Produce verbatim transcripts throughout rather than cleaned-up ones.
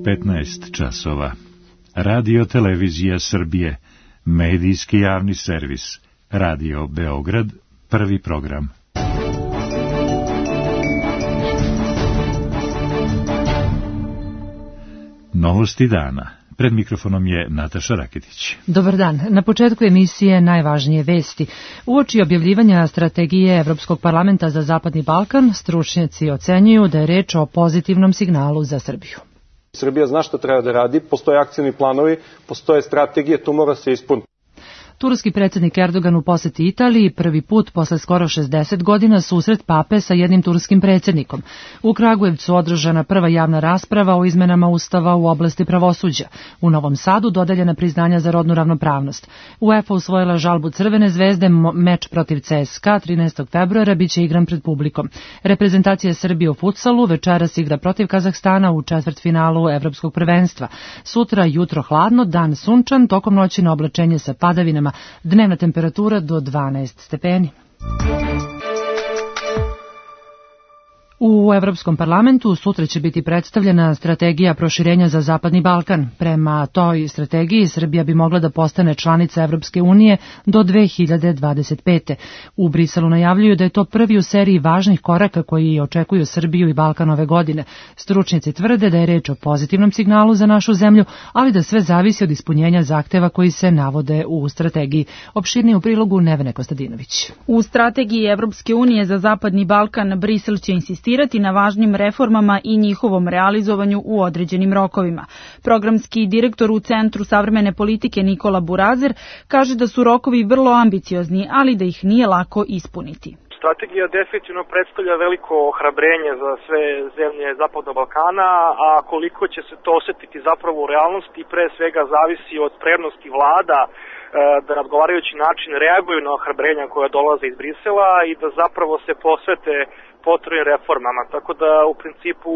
petnaest časova. Radio Televizija Srbije, medijski javni servis, Radio Beograd, prvi program. Novosti dana. Pred mikrofonom je Nataša Raketić. Dobar dan. Na početku emisije najvažnije vesti. Uoči objavljivanja strategije Evropskog parlamenta za Zapadni Balkan, stručnjaci ocenjuju da je reč o pozitivnom signalu za Srbiju. Srbija zna šta treba da radi, postoje akcioni planovi, postoje strategije, to mora se ispuniti. Turski predsjednik Erdogan u poseti Italiji prvi put posle skoro šezdeset godina susret pape sa jednim turskim predsjednikom. U Kragujevcu održana prva javna rasprava o izmenama Ustava u oblasti pravosuđa. U Novom Sadu dodeljena priznanja za rodnu ravnopravnost. UEFA usvojila žalbu Crvene zvezde, meč protiv C S K A trinaestog februara biće igran pred publikom. Reprezentacija Srbije u futsalu večeras igra protiv Kazahstana u četvrtfinalu Evropskog prvenstva. Sutra jutro hladno, dan sunčan, tokom noći na oblačenje sa padavinama. Dnevna temperatura do dvanaest stepeni. U Evropskom parlamentu sutra će biti predstavljena strategija proširenja za Zapadni Balkan. Prema toj strategiji Srbija bi mogla da postane članica Evropske unije do dve hiljade dvadeset pete. U Briselu najavljuju da je to prvi u seriji važnih koraka koji očekuju Srbiju i Balkan ove godine. Stručnjaci tvrde da je reč o pozitivnom signalu za našu zemlju, ali da sve zavisi od ispunjenja zahteva koji se navode u strategiji. Opširnije u prilogu Nevene Kostadinović. U strategiji Evropske unije za Zapadni Balkan Brisel će insistirati na važnim reformama i njihovom realizovanju u određenim rokovima. Programski direktor u Centru savremene politike Nikola Burazer kaže da su rokovi vrlo ambiciozni, ali da ih nije lako ispuniti. Strategija definitivno predstavlja veliko ohrabrenje za sve zemlje Zapadnog Balkana, a koliko će se to osetiti zapravo u realnosti pre svega zavisi od spremnosti vlada da na odgovarajući način reaguju na ohrabrenja koja dolaze iz Brisela i da zapravo se posvete potrebnim reformama. Tako da u principu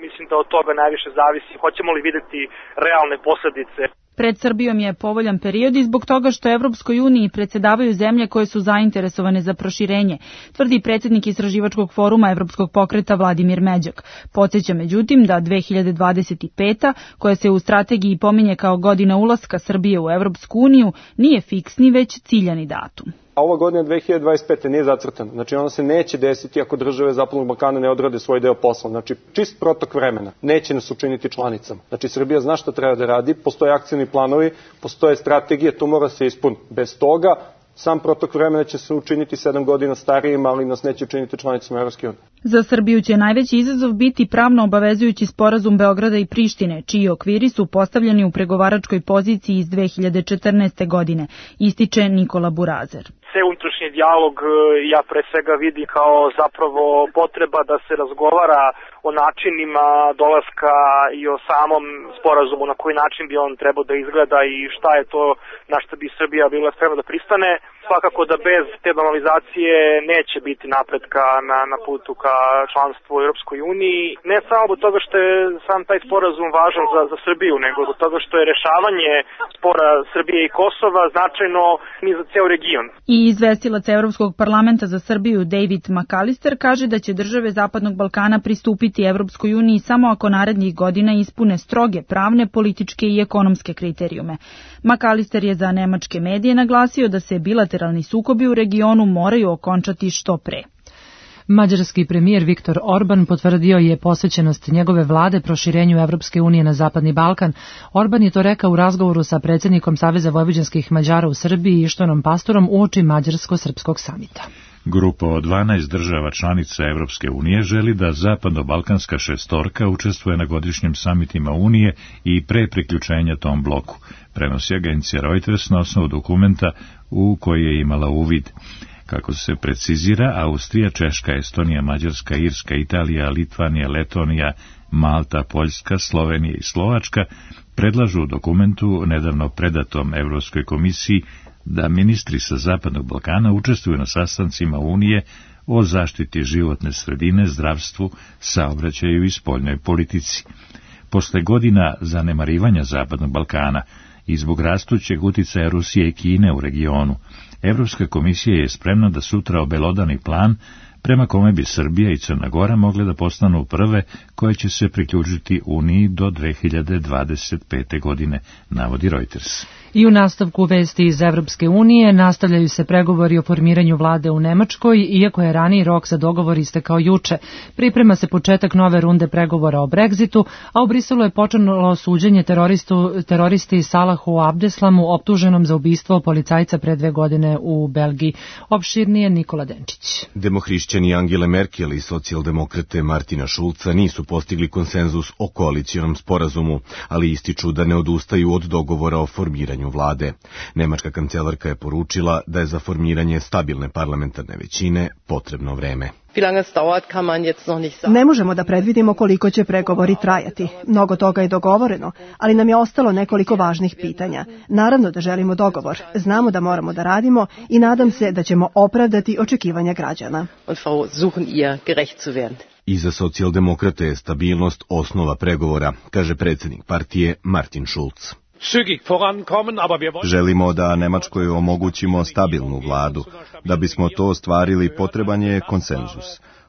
mislim da od toga najviše zavisi hoćemo li videti realne posledice. Pred Srbijom je povoljan period i zbog toga što Evropskoj uniji predsedavaju zemlje koje su zainteresovane za proširenje, tvrdi predsjednik Istraživačkog foruma Evropskog pokreta Vladimir Međak. Podsjeća međutim da dve hiljade dvadeset peta, koja se u strategiji pominje kao godina ulaska Srbije u Evropsku uniju, nije fiksni već ciljani datum. Ova godina dve hiljade dvadeset pete nije zacrtana, znači ona se neće desiti ako države Zapadnog Balkana ne odrade svoj deo posla, znači čist protok vremena, neće nas učiniti članicama. Znači Srbija zna šta treba da radi, postoje akcioni planovi, postoje strategije, to mora se ispuniti. Bez toga sam protok vremena će se učiniti sedam godina starijim, ali nas neće učiniti članicama Evropske unije. Za Srbiju će najveći izazov biti pravno obavezujući sporazum Beograda i Prištine, čiji okviri su postavljeni u pregovaračkoj poziciji iz dve hiljade četrnaeste. godine, ističe Nikola Burazer. Sve unutrašnji dijalog ja pre svega vidim kao zapravo potreba da se razgovara o načinima dolaska i o samom sporazumu, na koji način bi on trebao da izgleda i šta je to na što bi Srbija bila spremna da pristane. Svakako da bez te normalizacije neće biti napretka na, na putu ka članstvu u Europskoj uniji. Ne samo zbog toga što je sam taj sporazum važan za, za Srbiju, nego zbog toga što je rešavanje spora Srbije i Kosova značajno ni za ceo region. I izvestilac Evropskog parlamenta za Srbiju David McAllister kaže da će države Zapadnog Balkana pristupiti Evropskoj uniji samo ako narednih godina ispune stroge pravne, političke i ekonomske kriterijume. McAllister je za nemačke medije naglasio da se bilateralni sukobi u regionu moraju okončati što pre. Mađarski premijer Viktor Orban potvrdio je posvećenost njegove vlade proširenju Evropske unije na Zapadni Balkan. Orban je to rekao u razgovoru sa predsjednikom Saveza vojvođanskih Mađara u Srbiji Ištvanom Pastorom uoči Mađarsko-srpskog samita. Grupa od dvanaest država članica Evropske unije želi da zapadno-balkanska šestorka učestvuje na godišnjim samitima Unije i pre priključenja tom bloku, prenosi agencija Reuters na osnovu dokumenta u koji je imala uvid. Kako se precizira, Austrija, Češka, Estonija, Mađarska, Irska, Italija, Litvanija, Letonija, Malta, Poljska, Slovenija i Slovačka predlažu u dokumentu nedavno predatom Evropskoj komisiji da ministri sa Zapadnog Balkana učestvuju na sastancima Unije o zaštiti životne sredine, zdravstvu, saobraćaju i spoljnoj politici. Posle godina zanemarivanja Zapadnog Balkana i zbog rastućeg uticaja Rusije i Kine u regionu, Evropska komisija je spremna da sutra obelodani plan prema kome bi Srbija i Crna Gora mogle da postanu prve koje će se priključiti Uniji do dve hiljade dvadeset pete. godine, navodi Reuters. I u nastavku vesti iz Evropske unije nastavljaju se pregovori o formiranju vlade u Nemačkoj, iako je raniji rok za dogovor istekao juče. Priprema se početak nove runde pregovora o Brexitu, a u Briselu je počelo suđenje teroristu, teroristi Salahu Abdeslamu, optuženom za ubistvo policajca pre dve godine u Belgiji. Opširnije Nikola Denčić. Demohrišćani Angele Merkel i socijaldemokrate Martina Šulca nisu postigli konsenzus o koalicijonom sporazumu, ali ističu da ne odustaju od dogovora o formiranju vlade. Nemačka kancelarka je poručila da je za formiranje stabilne parlamentarne većine potrebno vreme. Ne možemo da predvidimo koliko će pregovori trajati. Mnogo toga je dogovoreno, ali nam je ostalo nekoliko važnih pitanja. Naravno da želimo dogovor, znamo da moramo da radimo i nadam se da ćemo opravdati očekivanja građana. I za socijaldemokrate je stabilnost osnova pregovora, kaže predsjednik partije Martin Schulz. Želimo da Nemačkoj omogućimo stabilnu vladu. Da bismo to ostvarili, potreban je konsenzus.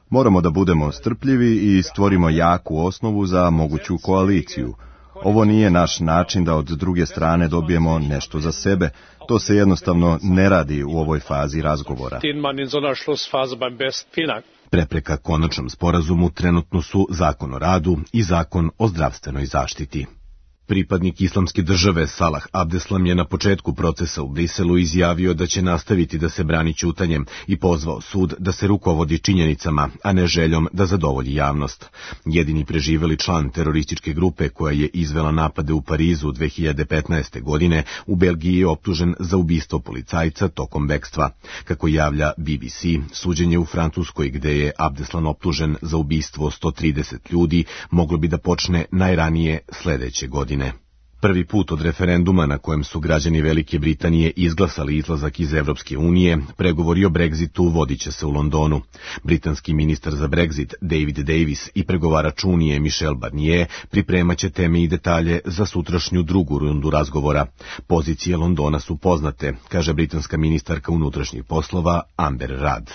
Moramo da budemo strpljivi i stvorimo jaku osnovu za moguću koaliciju. Ovo nije naš način da od druge strane dobijemo nešto za sebe. To se jednostavno ne radi u ovoj fazi razgovora. Prepreka konačnom sporazumu trenutno su Zakon o radu i Zakon o zdravstvenoj zaštiti. Pripadnik islamske države Salah Abdeslam je na početku procesa u Briselu izjavio da će nastaviti da se brani ćutanjem i pozvao sud da se rukovodi činjenicama, a ne željom da zadovolji javnost. Jedini preživeli član terorističke grupe koja je izvela napade u Parizu dve hiljade petnaeste. godine u Belgiji je optužen za ubistvo policajca tokom bekstva. Kako javlja B B C, suđenje u Francuskoj gde je Abdeslam optužen za ubistvo sto trideset ljudi moglo bi da počne najranije sledeće godine. Prvi put od referenduma na kojem su građani Velike Britanije izglasali izlazak iz Evropske unije, pregovori o Brexitu vodit će se u Londonu. Britanski ministar za Brexit David Davis i pregovarač Unije Michel Barnier pripremaće teme i detalje za sutrašnju drugu rundu razgovora. Pozicije Londona su poznate, kaže britanska ministarka unutrašnjih poslova Amber Rudd.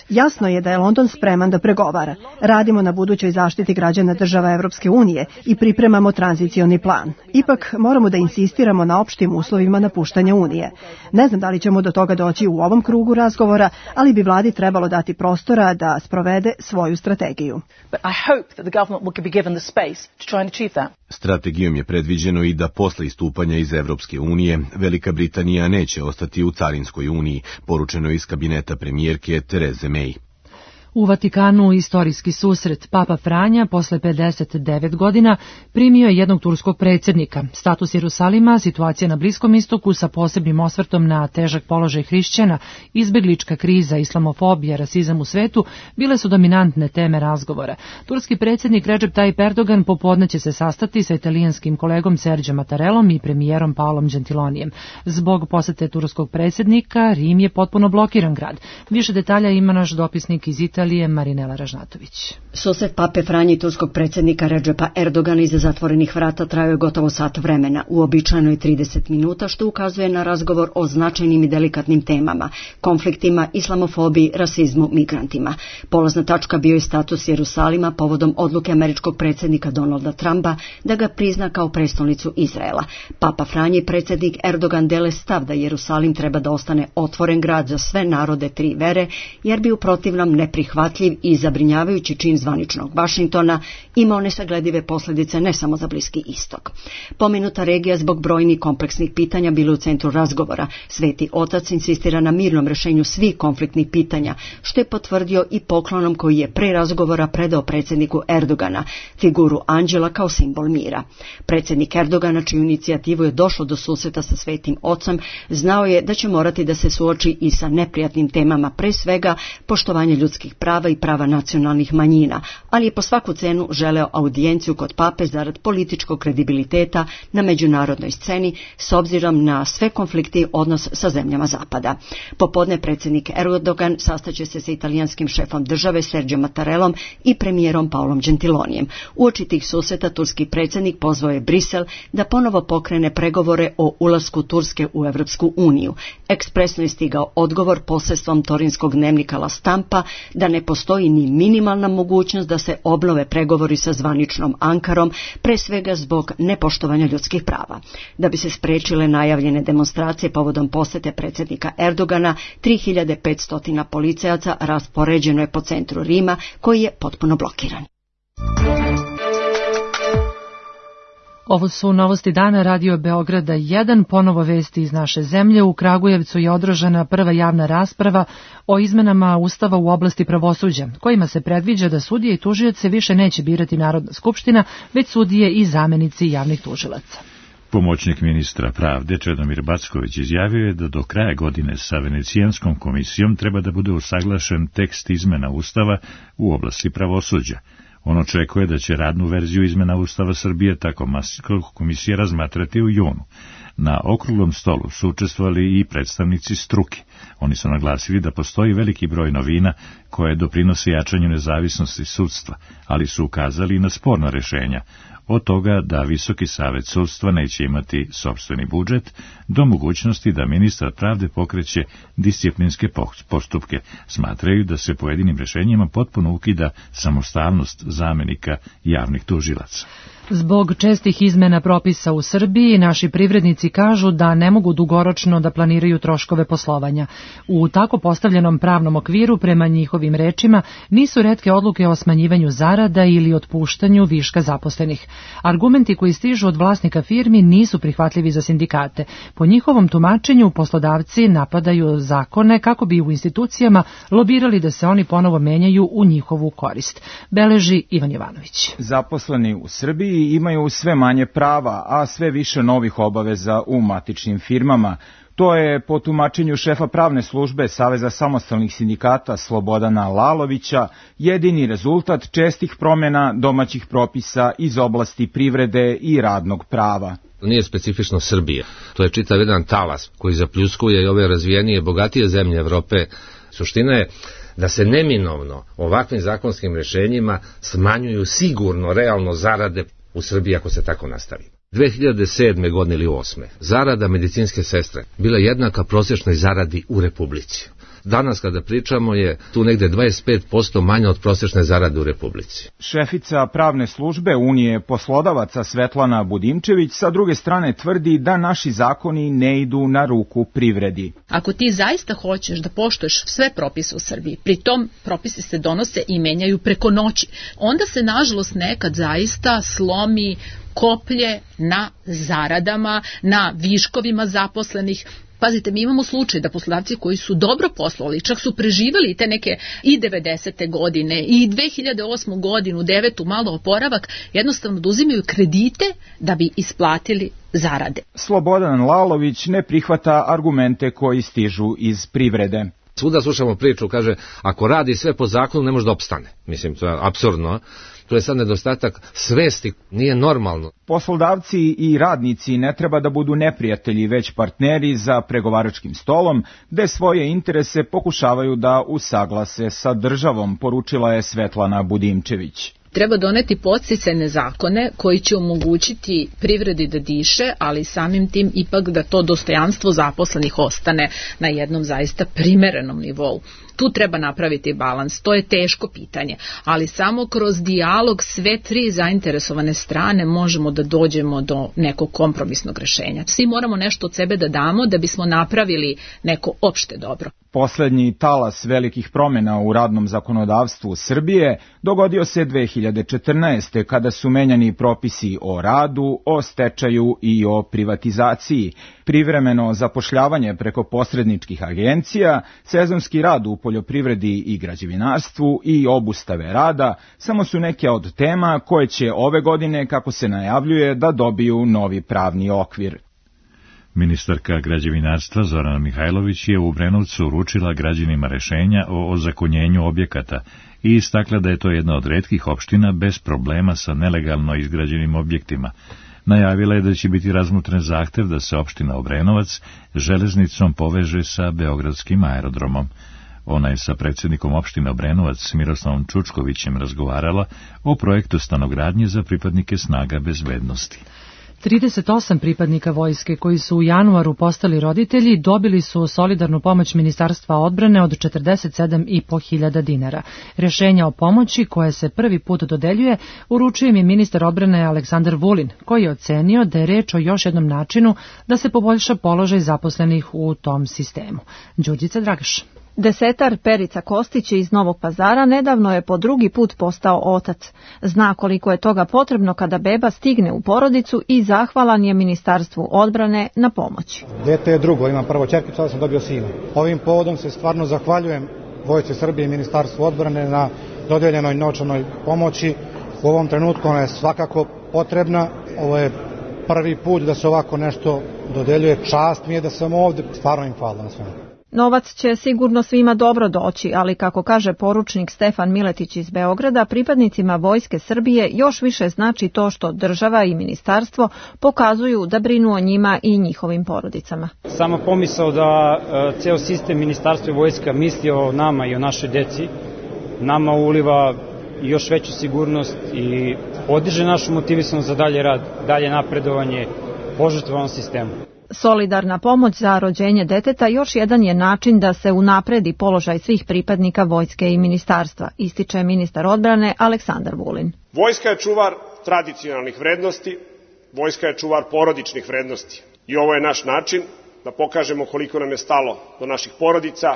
Jasno je da je London spreman da pregovara. Radimo na budućoj zaštiti građana država Evropske unije i pripremamo tranzicioni plan. Ipak moramo da insistiramo na opštim uslovima napuštanja Unije. Ne znam da li ćemo do toga doći u ovom krugu razgovora, ali bi vladi trebalo dati prostora da sprovede svoju strategiju. Strategijom je predviđeno i da posle istupanja iz Evropske unije Velika Britanija neće ostati u carinskoj uniji, poručeno iz kabineta premijerke Tereze May. U Vatikanu istorijski susret. Papa Franja posle pedeset devet godina primio je jednog turskog predsjednika. Status Jerusalima, situacija na Bliskom istoku sa posebnim osvrtom na težak položaj hrišćana, izbeglička kriza, islamofobija, rasizam u svetu bile su dominantne teme razgovora. Turski predsjednik Recep Tayyip Erdogan popodne će se sastati sa italijanskim kolegom Serđom Mattarellom i premijerom Paolom Gentilonijem. Zbog posete turskog predsjednika Rim je potpuno blokiran grad. Više detalja ima naš dopisnik iz Italije Marinela Ražnatović. Susret pape Franje i turskog predsjednika Recepa Erdogana iza zatvorenih vrata trajao je gotovo sat vremena, uobičajeno je trideset minuta, što ukazuje na razgovor o značajnim i delikatnim temama, konfliktima, islamofobiji, rasizmu, migrantima. Polazna tačka bio je status Jerusalima povodom odluke američkog predsjednika Donalda Trumpa da ga prizna kao prestolnicu Izraela. Papa Franje i predsjednik Erdogan dele stav da Jerusalim treba da ostane otvoren grad za sve narode tri vere, jer bi u protivnom neprihvatljiv i zabrinjavajući čin zvaničnog Vašingtona imao nesagledive posljedice ne samo za Bliski istok. Pomenuta regija zbog brojnih kompleksnih pitanja bila u centru razgovora. Sveti otac insistira na mirnom rješenju svih konfliktnih pitanja, što je potvrdio i poklonom koji je pre razgovora predao predsjedniku Erdogana, figuru anđela kao simbol mira. Predsjednik Erdogana, čiju inicijativu je došlo do susreta sa svetim ocem, znao je da će morati da se suoči i sa neprijatnim temama, pre svega poštovanje ljudskih prava i prava nacionalnih manjina, ali je po svaku cenu želeo audijenciju kod pape zarad političkog kredibiliteta na međunarodnoj sceni s obzirom na sve konflikte i odnos sa zemljama Zapada. Popodne predsjednik Erdogan sastaće se sa italijanskim šefom države Sergio Mattarellom i premijerom Paolom Gentilonijem. Uoči tih susreta turski predsjednik pozvao je Brisel da ponovo pokrene pregovore o ulasku Turske u Evropsku uniju. Ekspresno je stigao odgovor posredstvom torinskog dnevnika La Stampa da ne postoji ni minimalna mogućnost da se obnove pregovori sa zvaničnom Ankarom, pre svega zbog nepoštovanja ljudskih prava. Da bi se sprečile najavljene demonstracije povodom posete predsjednika Erdogana, tri hiljade petsto policajaca raspoređeno je po centru Rima, koji je potpuno blokiran. Ovo su novosti dana Radio Beograda jedan, ponovo vesti iz naše zemlje. U Kragujevcu je održana prva javna rasprava o izmenama Ustava u oblasti pravosuđa, kojima se predviđa da sudije i tužioce više neće birati Narodna skupština, već sudije i zamenici javnih tužilaca. Pomoćnik ministra pravde Čedomir Backović izjavio je da do kraja godine sa Venecijanskom komisijom treba da bude usaglašen tekst izmena Ustava u oblasti pravosuđa. On očekuje da će radnu verziju izmena Ustava Srbije tako komisija razmatrati u junu. Na okruglom stolu su učestvovali i predstavnici struke. Oni su naglasili da postoji veliki broj novina koje doprinose jačanju nezavisnosti sudstva, ali su ukazali na sporna rešenja, od toga da Visoki savet sudstva neće imati sopstveni budžet, do mogućnosti da ministar pravde pokreće disciplinske postupke. Smatraju da se pojedinim rešenjima potpuno ukida samostalnost zamenika javnih tužilaca. Zbog čestih izmena propisa u Srbiji, naši privrednici kažu da ne mogu dugoročno da planiraju troškove poslovanja. U tako postavljenom pravnom okviru, prema njihovim rečima, nisu retke odluke o smanjivanju zarada ili otpuštanju viška zaposlenih. Argumenti koji stižu od vlasnika firmi nisu prihvatljivi za sindikate. Po njihovom tumačenju, poslodavci napadaju zakone kako bi u institucijama lobirali da se oni ponovo menjaju u njihovu korist. Beleži Ivan Jovanović. Zaposleni u Srbiji imaju sve manje prava, a sve više novih obaveza u matičnim firmama. To je po tumačenju šefa pravne službe Saveza samostalnih sindikata Slobodana Lalovića jedini rezultat čestih promjena domaćih propisa iz oblasti privrede i radnog prava. Nije specifično Srbija. To je čitav jedan talas koji zapljuskuje i ove razvijenije, bogatije zemlje Evrope. Suština je da se neminovno ovakvim zakonskim rješenjima smanjuju sigurno realno zarade u Srbiji ako se tako nastavi. dve hiljade sedme godine ili osme zarada medicinske sestre bila jednaka prosječnoj zaradi u Republici. Danas kada pričamo je tu negde dvadeset pet posto manje od prosječne zarade u Republici. Šefica pravne službe Unije poslodavaca Svetlana Budimčević sa druge strane tvrdi da naši zakoni ne idu na ruku privredi. Ako ti zaista hoćeš da poštuješ sve propise u Srbiji, pritom propisi se donose i menjaju preko noći, onda se nažalost nekad zaista slomi koplje na zaradama, na viškovima zaposlenih. Pazite, mi imamo slučaj da poslodavci koji su dobro poslovali, čak su preživali te neke i devedesete godine i dve hiljade osme godinu, devetu malo oporavak, jednostavno da uzimaju kredite da bi isplatili zarade. Slobodan Lalović ne prihvata argumente koji stižu iz privrede. Svuda slušamo priču, kaže, ako radi sve po zakonu ne može da opstane. Mislim, to je apsurdno. To je sad nedostatak svesti, nije normalno. Poslodavci i radnici ne treba da budu neprijatelji, već partneri za pregovaračkim stolom, gde svoje interese pokušavaju da usaglase sa državom, poručila je Svetlana Budimčević. Treba doneti podsticajne zakone koji će omogućiti privredi da diše, ali samim tim ipak da to dostojanstvo zaposlenih ostane na jednom zaista primerenom nivou. Tu treba napraviti balans, to je teško pitanje, ali samo kroz dijalog sve tri zainteresovane strane možemo da dođemo do nekog kompromisnog rešenja. Svi moramo nešto od sebe da damo da bismo napravili neko opšte dobro. Poslednji talas velikih promjena u radnom zakonodavstvu Srbije dogodio se dve hiljade četrnaeste. kada su menjani propisi o radu, o stečaju i o privatizaciji, privremeno zapošljavanje preko posredničkih agencija, sezonski rad u poljoprivredi i građevinarstvu i obustave rada samo su neke od tema koje će ove godine, kako se najavljuje, da dobiju novi pravni okvir. Ministarka građevinarstva Zorana Mihajlović je u Obrenovcu uručila građanima rešenja o ozakonjenju objekata i istakla da je to jedna od retkih opština bez problema sa nelegalno izgrađenim objektima. Najavila je da će biti razmotren zahtev da se opština Obrenovac železnicom poveže sa beogradskim aerodromom. Ona je sa predsjednikom opštine Obrenovac Miroslavom Čučkovićem razgovarala o projektu stanogradnje za pripadnike snaga bezbednosti. trideset osam pripadnika vojske koji su u januaru postali roditelji dobili su solidarnu pomoć Ministarstva odbrane od četrdeset sedam i po hiljada dinara. Rješenja o pomoći koje se prvi put dodeljuje uručuje im je ministar odbrane Aleksandar Vulin, koji je ocenio da je reč o još jednom načinu da se poboljša položaj zaposlenih u tom sistemu. Đurđica Dragaš. Desetar Perica Kostić iz Novog Pazara nedavno je po drugi put postao otac. Zna koliko je toga potrebno kada beba stigne u porodicu i zahvalan je Ministarstvu odbrane na pomoći. Dete je drugo, imam prvo ćerkicu, sada sam dobio sina. Ovim povodom se stvarno zahvaljujem Vojsci Srbije i Ministarstvu odbrane na dodeljenoj novčanoj pomoći. U ovom trenutku ona je svakako potrebna. Ovo je prvi put da se ovako nešto dodeljuje. Čast mi je da sam ovde. Stvarno im hvala na svemu. Novac će sigurno svima dobro doći, ali kako kaže poručnik Stefan Miletić iz Beograda, pripadnicima Vojske Srbije još više znači to što država i ministarstvo pokazuju da brinu o njima i njihovim porodicama. Sama pomisao da e, ceo sistem ministarstva i vojska misli o nama i o našoj deci, nama uliva još veću sigurnost i podiže našu motivisanost za dalje rad, dalje napredovanje, požrtvovan sistemu. Solidarna pomoć za rođenje deteta još jedan je način da se unapredi položaj svih pripadnika vojske i ministarstva, ističe ministar odbrane Aleksandar Vulin. Vojska je čuvar tradicionalnih vrednosti, vojska je čuvar porodičnih vrednosti. I ovo je naš način da pokažemo koliko nam je stalo do naših porodica,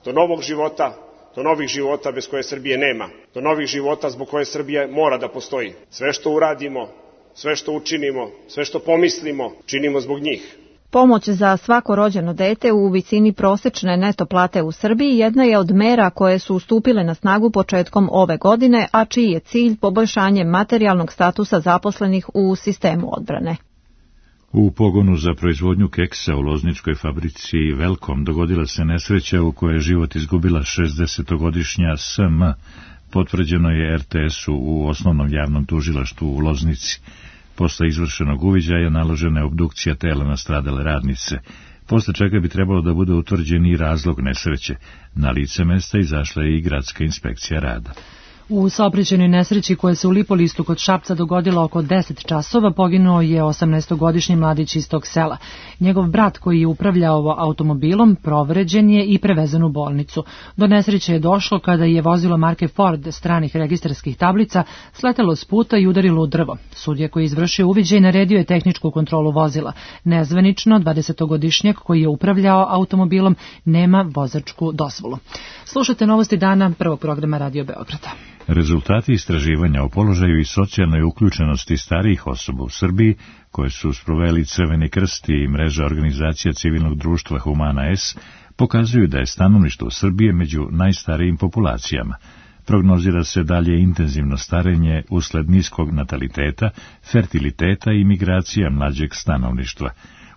do novog života, do novih života bez koje Srbije nema, do novih života zbog koje Srbija mora da postoji. Sve što uradimo, sve što učinimo, sve što pomislimo, činimo zbog njih. Pomoć za svako rođeno dete u visini prosečne neto plate u Srbiji jedna je od mera koje su stupile na snagu početkom ove godine, a čiji je cilj poboljšanje materijalnog statusa zaposlenih u sistemu odbrane. U pogonu za proizvodnju keksa u lozničkoj fabrici Velkom dogodila se nesreća u kojoj je život izgubila šezdesetogodišnja S M. Potvrđeno je R T S-u u osnovnom javnom tužilaštvu u Loznici. Posle izvršenog uviđaja naložena je obdukcija tela nastradale radnice, posle čega bi trebalo da bude utvrđen i razlog nesreće. Na lice mesta izašla je i gradska inspekcija rada. U saobraćajnoj nesreći koja se u Lipolistu kod Šapca dogodila oko deset časova poginuo je osamnaestogodišnji mladić iz tog sela. Njegov brat koji je upravljao automobilom povređen je i prevezen u bolnicu. Do nesreće je došlo kada je vozilo marke Ford stranih registarskih tablica sletelo s puta i udarilo u drvo. Sudija koji je izvršio uviđaj naredio je tehničku kontrolu vozila. Nezvanično dvadesetogodišnjak koji je upravljao automobilom nema vozačku dozvolu. Slušate novosti dana prvog programa Radio Beograda. Rezultati istraživanja o položaju i socijalnoj uključenosti starijih osoba u Srbiji, koje su sproveli Crveni krst i mreža organizacija civilnog društva Humana S, pokazuju da je stanovništvo Srbije među najstarijim populacijama. Prognozira se dalje intenzivno starenje usled niskog nataliteta, fertiliteta i migracija mlađeg stanovništva.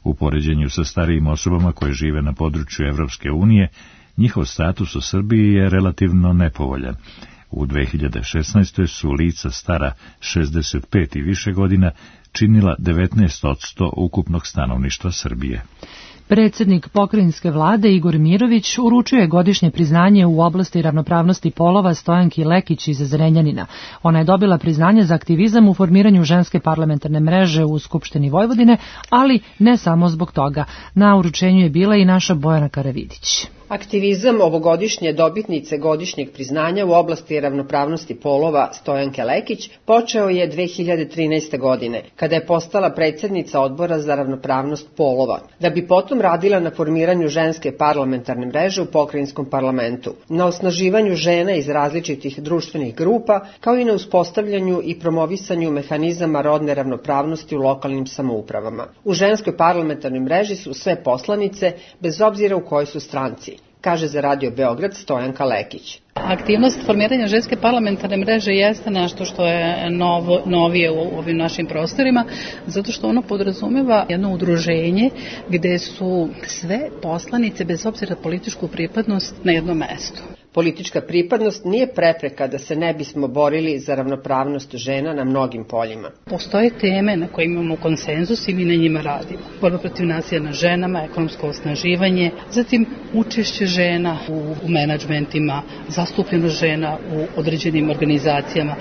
U poređenju sa starijim osobama koje žive na području Evropske unije, njihov status u Srbiji je relativno nepovoljan. U dve hiljade šesnaestoj su lica stara šezdeset pet i više godina činila devetnaest posto ukupnog stanovništva Srbije. Predsjednik pokrajinske vlade Igor Mirović uručio je godišnje priznanje u oblasti ravnopravnosti polova Stojanki Lekić iz Zrenjanina. Ona je dobila priznanje za aktivizam u formiranju ženske parlamentarne mreže u Skupštini Vojvodine, ali ne samo zbog toga. Na uručenju je bila i naša Bojana Karavidić. Aktivizam ovogodišnje dobitnice godišnjeg priznanja u oblasti ravnopravnosti polova Stojanke Lekić počeo je dve hiljade trinaeste. godine, kada je postala predsjednica odbora za ravnopravnost polova, da bi potom radila na formiranju ženske parlamentarne mreže u pokrajinskom parlamentu, na osnaživanju žena iz različitih društvenih grupa, kao i na uspostavljanju i promovisanju mehanizama rodne ravnopravnosti u lokalnim samoupravama. U ženskoj parlamentarnoj mreži su sve poslanice, bez obzira u kojoj su stranci. kaže za Radio Beograd Stojanka Lekić. Aktivnost formiranja ženske parlamentarne mreže jeste nešto što je novo, novije u ovim našim prostorima, zato što ono podrazumeva jedno udruženje gde su sve poslanice, bez obzira na političku pripadnost, na jednom mestu. Politička pripadnost nije prepreka da se ne bismo borili za ravnopravnost žena na mnogim poljima. Postoje teme na koje imamo konsenzus i mi na njima radimo. Borba protiv nasilja nad ženama, ekonomsko osnaživanje, zatim učešće žena u, u menadžmentima, zastupljenost žena u određenim organizacijama.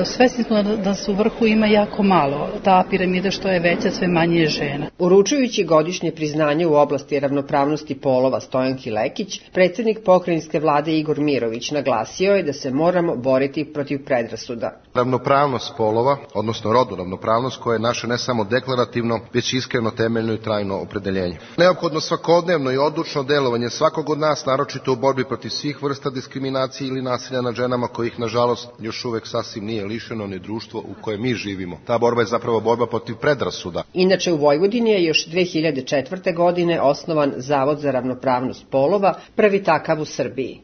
Svesni smo da, da se u vrhu ima jako malo. Ta piramida što je veća, sve manje je žena. Uručujući godišnje priznanje u oblasti ravnopravnosti polova Stojanki Lekić, predsjednik pokrajinske vlade Igor Mirović naglasio je da se moramo boriti protiv predrasuda. Ravnopravnost polova, odnosno rodnu ravnopravnost, koja je naše ne samo deklarativno, već iskreno, temeljno i trajno opredeljenje. Neophodno svakodnevno i odlučno delovanje svakog od nas, naročito u borbi protiv svih vrsta diskriminacije ili nasilja nad ženama, kojih nažalost još uvek sasvim nije lišeno ni društvo u kojem mi živimo. Ta borba je zapravo borba protiv predrasuda. Inače u Vojvodini je još dve hiljade četvrte. godine osnovan Zavod za ravnopravnost polova, prvi takav u Srbiji.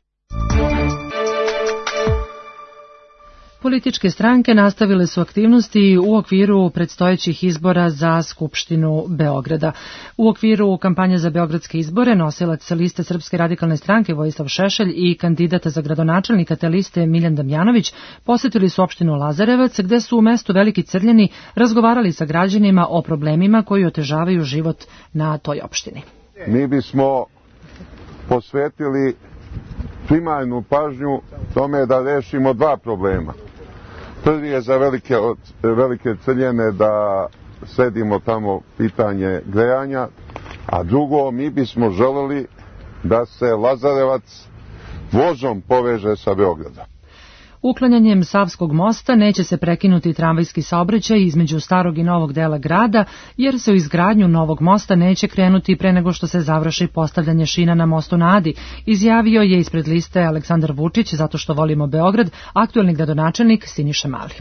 Političke stranke nastavile su aktivnosti u okviru predstojećih izbora za Skupštinu Beograda. U okviru kampanje za beogradske izbore nosilac liste Srpske radikalne stranke Vojislav Šešelj i kandidata za gradonačelnika te liste Miljan Damjanović posetili su opštinu Lazarevac, gde su u mestu Veliki Crljeni razgovarali sa građanima o problemima koji otežavaju život na toj opštini. Mi bismo posvetili primarnu pažnju tome da rešimo dva problema. Prvi je za velike, velike Crljene da sredimo tamo pitanje grejanja, a drugo, mi bismo želeli da se Lazarevac vozom poveže sa Beogradom. Uklanjanjem Savskog mosta neće se prekinuti tramvajski saobraćaj između starog i novog dela grada, jer se u izgradnju novog mosta neće krenuti pre nego što se završi postavljanje šina na mostu na Adi, izjavio je ispred liste Aleksandar Vučić, zato što volimo Beograd, aktuelni gradonačelnik Siniša Mali.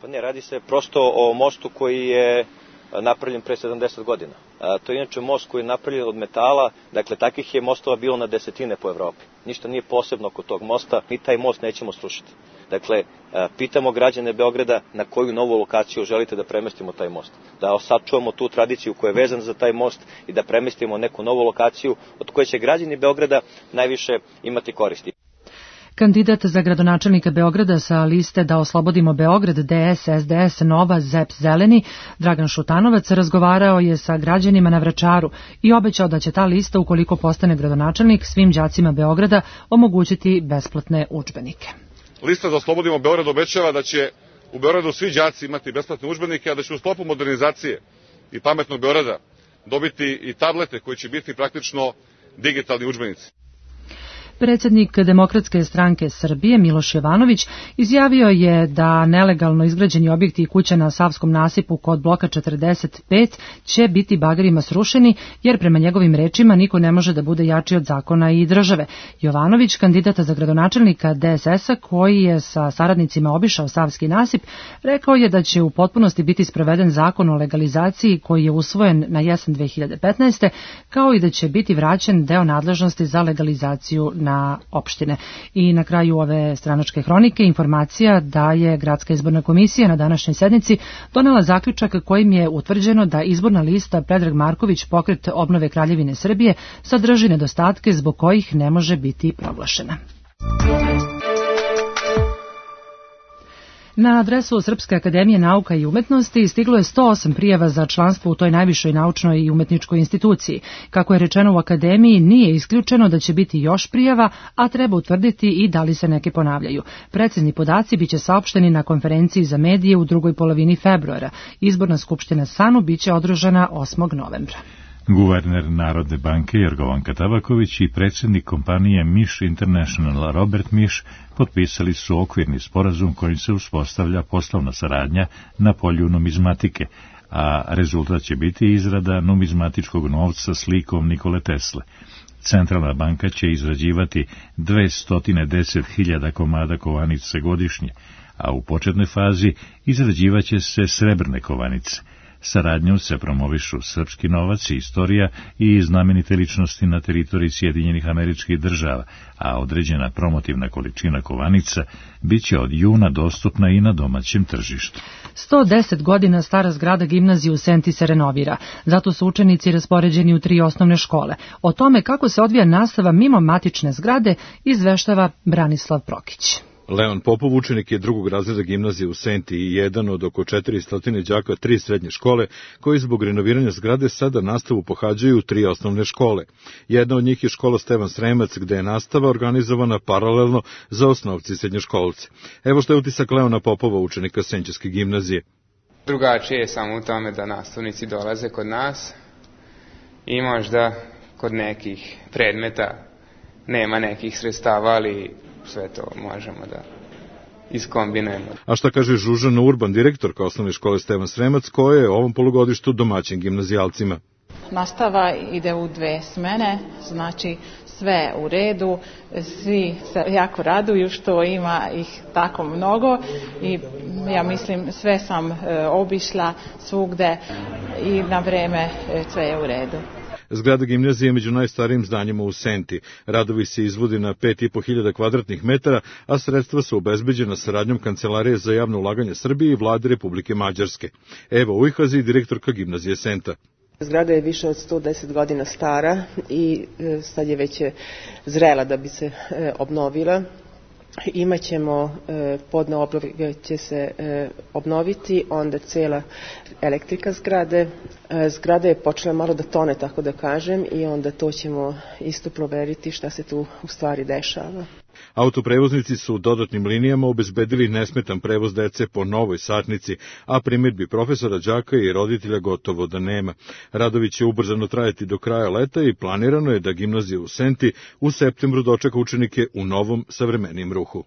Pa ne, radi se prosto o mostu koji je napravljen pre sedamdeset godina. A, to je inače most koji je napravljen od metala, dakle takvih je mostova bilo na desetine po Evropi. Ništa nije posebno oko tog mosta, mi taj most nećemo srušiti. Dakle, a, pitamo građane Beograda na koju novu lokaciju želite da premestimo taj most. Da sačuvamo tu tradiciju koja je vezana za taj most i da premestimo neku novu lokaciju od koje će građani Beograda najviše imati koristi. Kandidat za gradonačelnika Beograda sa liste Da oslobodimo Beograd, D S, S D S, Nova, Z E P, Zeleni, Dragan Šutanovac, razgovarao je sa građanima na Vračaru i obećao da će ta lista, ukoliko postane gradonačelnik, svim đacima Beograda omogućiti besplatne udžbenike. Lista Da oslobodimo Beograd obećava da će u Beogradu svi đaci imati besplatne udžbenike, a da će u sklopu modernizacije i pametnog Beograda dobiti i tablete koji će biti praktično digitalni udžbenici. Predsjednik Demokratske stranke Srbije Miloš Jovanović izjavio je da nelegalno izgrađeni objekti i kuće na Savskom nasipu kod bloka četrdeset pet će biti bagerima srušeni, jer prema njegovim rečima niko ne može da bude jači od zakona i države. Jovanović, kandidata za gradonačelnika D S S-a, koji je sa saradnicima obišao Savski nasip, rekao je da će u potpunosti biti sproveden zakon o legalizaciji koji je usvojen na jesen dve hiljade petnaeste. kao i da će biti vraćen deo nadležnosti za legalizaciju na opštine. I na kraju ove stranačke hronike informacija da je Gradska izborna komisija na današnjoj sednici donela zaključak kojim je utvrđeno da izborna lista Predrag Marković Pokret obnove Kraljevine Srbije sadrži nedostatke zbog kojih ne može biti proglašena. Na adresu Srpske akademije nauka i umetnosti stiglo je sto osam prijava za članstvo u toj najvišoj naučnoj i umetničkoj instituciji. Kako je rečeno u akademiji, nije isključeno da će biti još prijava, a treba utvrditi i da li se neke ponavljaju. Precizni podaci biće saopšteni na konferenciji za medije u drugoj polovini februara. Izborna skupština SANU biće održana osmog novembra. Guverner Narodne banke Jorgovanka Tabaković i predsjednik kompanije Miš International Robert Miš potpisali su okvirni sporazum kojim se uspostavlja poslovna saradnja na polju numizmatike, a rezultat će biti izrada numizmatičkog novca slikom Nikole Tesle. Centralna banka će izrađivati dvesta deset hiljada komada kovanice godišnje, a u početnoj fazi izrađivaće se srebrne kovanice. Saradnjom se promovišu srpski novac i istorija i znamenite ličnosti na teritoriji Sjedinjenih Američkih Država, a određena promotivna količina kovanica biće od juna dostupna i na domaćem tržištu. sto deset godina stara zgrada gimnazije u Senti se renovira, zato su učenici raspoređeni u tri osnovne škole. O tome kako se odvija nastava mimo matične zgrade izveštava Branislav Prokić. Leon Popov učenik je drugog razreda gimnazije u Senti i jedan od oko četiristo đaka tri srednje škole, koji zbog renoviranja zgrade sada nastavu pohađaju u tri osnovne škole. Jedna od njih je škola Stevan Sremac, gde je nastava organizovana paralelno za osnovci i srednjoškolce. Evo što je utisak Leona Popova, učenika Senćevske gimnazije. Drugačije je samo u tome da nastavnici dolaze kod nas i možda kod nekih predmeta nema nekih sredstava, ali sve to možemo da iskombinujemo. A šta kaže Žužana Urban, direktorka osnovne škole Stevan Sremac, koja je ovom polugodištu domaćin gimnazijalcima? Nastava ide u dve smene, znači sve u redu, svi se jako raduju što ima ih tako mnogo i ja mislim sve sam e, obišla svugde i na vreme e, sve je u redu. Zgrada gimnazije je među najstarijim zdanjima u Senti. Radovi se izvodi na pet i po hiljada kvadratnih metara, a sredstva su obezbeđena saradnjom Kancelarije za javno ulaganje Srbije i Vlade Republike Mađarske. Evo Ujhazi, direktorka gimnazije Senta. Zgrada je više od sto deset godina stara i sad je već zrela da bi se obnovila. Imaćemo podne obloge će se obnoviti, onda cela elektrika zgrade. Zgrada je počela malo da tone, tako da kažem, i onda to ćemo isto proveriti šta se tu u stvari dešava. Autoprevoznici su dodatnim linijama obezbedili nesmetan prevoz dece po novoj satnici, a primjedbi profesora, đaka i roditelja gotovo da nema. Radovi će ubrzano trajati do kraja leta i planirano je da gimnazija u Senti u septembru dočeka učenike u novom savremenijem ruhu.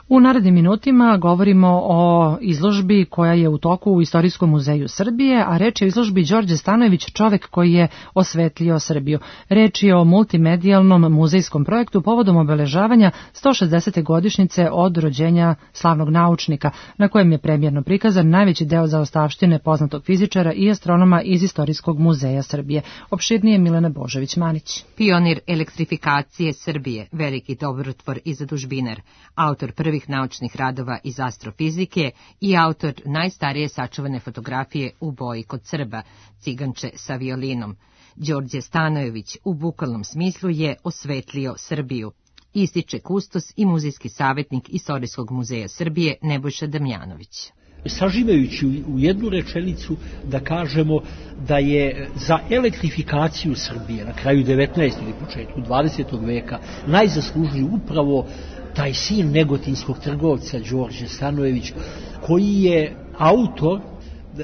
U narednim minutima govorimo o izložbi koja je u toku u Istorijskom muzeju Srbije, a reč je o izložbi Đorđe Stanojević, čovek koji je osvetlio Srbiju. Reč je o multimedijalnom muzejskom projektu povodom obeležavanja sto šezdesete godišnjice od rođenja slavnog naučnika, na kojem je premijerno prikazan najveći deo zaostavštine poznatog fizičara i astronoma iz Istorijskog muzeja Srbije. Opširnije Milena Božović-Manić. Pionir elektrifikacije Srbije, veliki dobrotvor i zadužbinar, autor prvih naučnih radova iz astrofizike i autor najstarije sačuvane fotografije u boji kod Srba, ciganče sa violinom. Đorđe Stanojević u bukvalnom smislu je osvetlio Srbiju, ističe kustos i muzejski savjetnik Istorijskog muzeja Srbije Nebojša Damjanović. Saživajući u jednu rečenicu da kažemo da je za elektrifikaciju Srbije na kraju devetnaestog ili početku dvadesetog veka najzaslužniji upravo taj sin negotinskog trgovca Đorđe Stanojević, koji je autor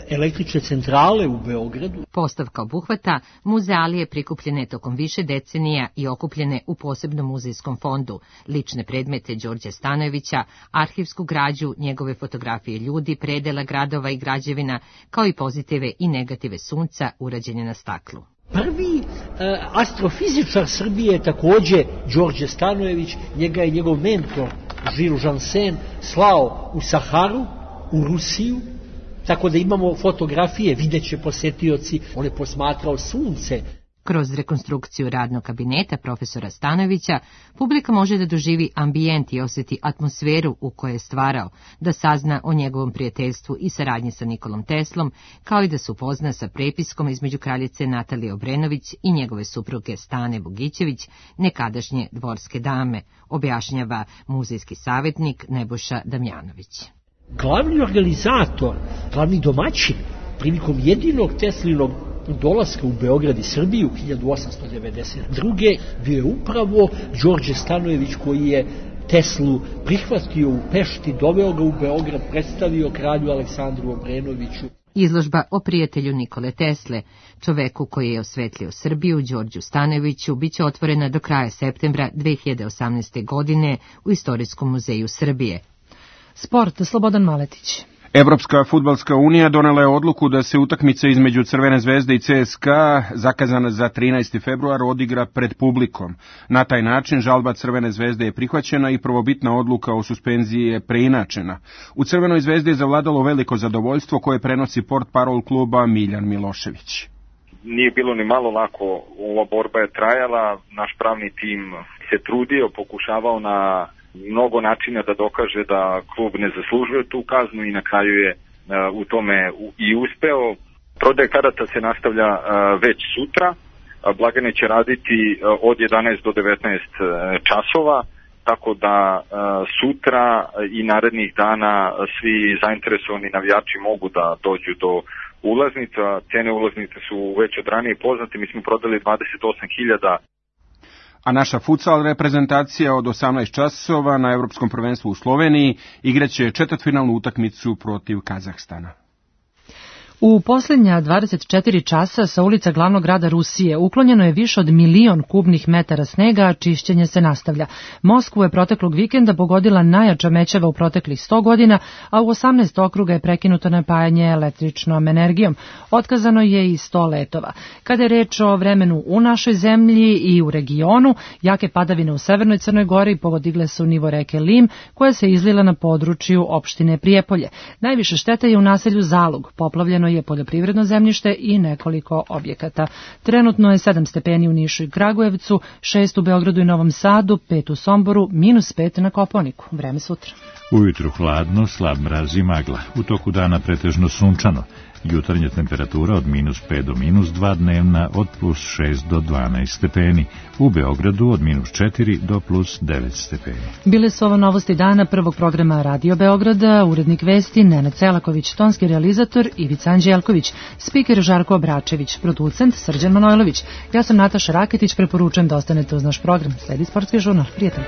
električne centrale u Beogradu. Postavka obuhvata muzealije prikupljene tokom više decenija i okupljene u posebnom muzejskom fondu, lične predmete Đorđe Stanojevića, arhivsku građu, njegove fotografije ljudi, predela gradova i građevina, kao i pozitive i negative sunca urađene na staklu. Prvi e, astrofizičar Srbije je takođe Đorđe Stanojević, njega je njegov mentor Jules Janssen slao u Saharu, u Rusiju, tako da imamo fotografije, vidjet će posetioci, on je posmatrao sunce. Kroz rekonstrukciju radnog kabineta profesora Stanojevića, publika može da doživi ambijent i osjeti atmosferu u kojoj je stvarao, da sazna o njegovom prijateljstvu i saradnji sa Nikolom Teslom, kao i da se upozna sa prepiskom između kraljice Natalije Obrenović i njegove supruge Stane Bogićević, nekadašnje dvorske dame, objašnjava muzejski savjetnik Nebojša Damjanović. Glavni organizator, glavni domaćin, prilikom jedinog Teslinog dolaska u Beograd i Srbiju hiljadu osamsto devedeset druge bio je upravo Đorđe Stanojević, koji je Teslu prihvatio u Pešti, doveo ga u Beograd, predstavio kralju Aleksandru Obrenoviću. Izložba o prijatelju Nikole Tesle, čoveku koji je osvetlio Srbiju, Đorđu Stanojeviću, biće otvorena do kraja septembra dve hiljade osamnaeste. godine u Istorijskom muzeju Srbije. Sport, Slobodan Maletić. Evropska fudbalska unija donela je odluku da se utakmica između Crvene zvezde i C S K A, zakazana za trinaesti februar, odigra pred publikom. Na taj način žalba Crvene zvezde je prihvaćena i prvobitna odluka o suspenziji je preinačena. U Crvenoj zvezdi je zavladalo veliko zadovoljstvo koje prenosi portparol kluba Miljan Milošević. Nije bilo ni malo lako, ova borba je trajala, naš pravni tim se trudio, pokušavao na mnogo načina da dokaže da klub ne zaslužuje tu kaznu i na kraju je uh, u tome i uspeo. Prodaja karata se nastavlja uh, već sutra. Uh, blagajne će raditi uh, od jedanaest do devetnaest uh, časova, tako da uh, sutra i narednih dana svi zainteresovani navijači mogu da dođu do ulaznica. Cene ulaznice su već od ranije poznate, mi smo prodali dvadeset osam hiljada. A naša futsal reprezentacija od osamnaest časova na Evropskom prvenstvu u Sloveniji igraće četvrtfinalnu utakmicu protiv Kazahstana. U posljednja dvadeset četiri časa sa ulica glavnog grada Rusije uklonjeno je više od milion kubnih metara snega, a čišćenje se nastavlja. Moskvu je proteklog vikenda pogodila najjača mećava u proteklih sto godina, a u osamnaest okruga je prekinuto napajanje električnom energijom. Otkazano je i sto letova. Kada je reč o vremenu u našoj zemlji i u regionu, jake padavine u severnoj Crnoj Gori podigle su nivo reke Lim, koja se izlila na području opštine Prijepolje. Najviše štete je u naselju Zalug, poplavljeno je poljoprivredno zemljište i nekoliko objekata. Trenutno je sedam stepeni u Nišu i Kragujevcu, šest u Beogradu i Novom Sadu, pet u Somboru, minus pet na Kopaoniku. Vreme sutra. Ujutru hladno, slab mraz i magla. U toku dana pretežno sunčano. Jutarnja temperatura od minus pet do minus dva, dnevna od plus šest do dvanaest stepeni. U Beogradu od minus četiri do plus devet stepeni. Bile su ovo novosti dana prvog programa Radio Beograda, urednik vesti Nenad Celaković, tonski realizator Ivica Anđelković, spiker Žarko Obračević, producent Srđan Manojlović. Ja sam Nataša Raketić, preporučujem da ostanete uz naš program. Sledi sportski žurnal. Prijatno.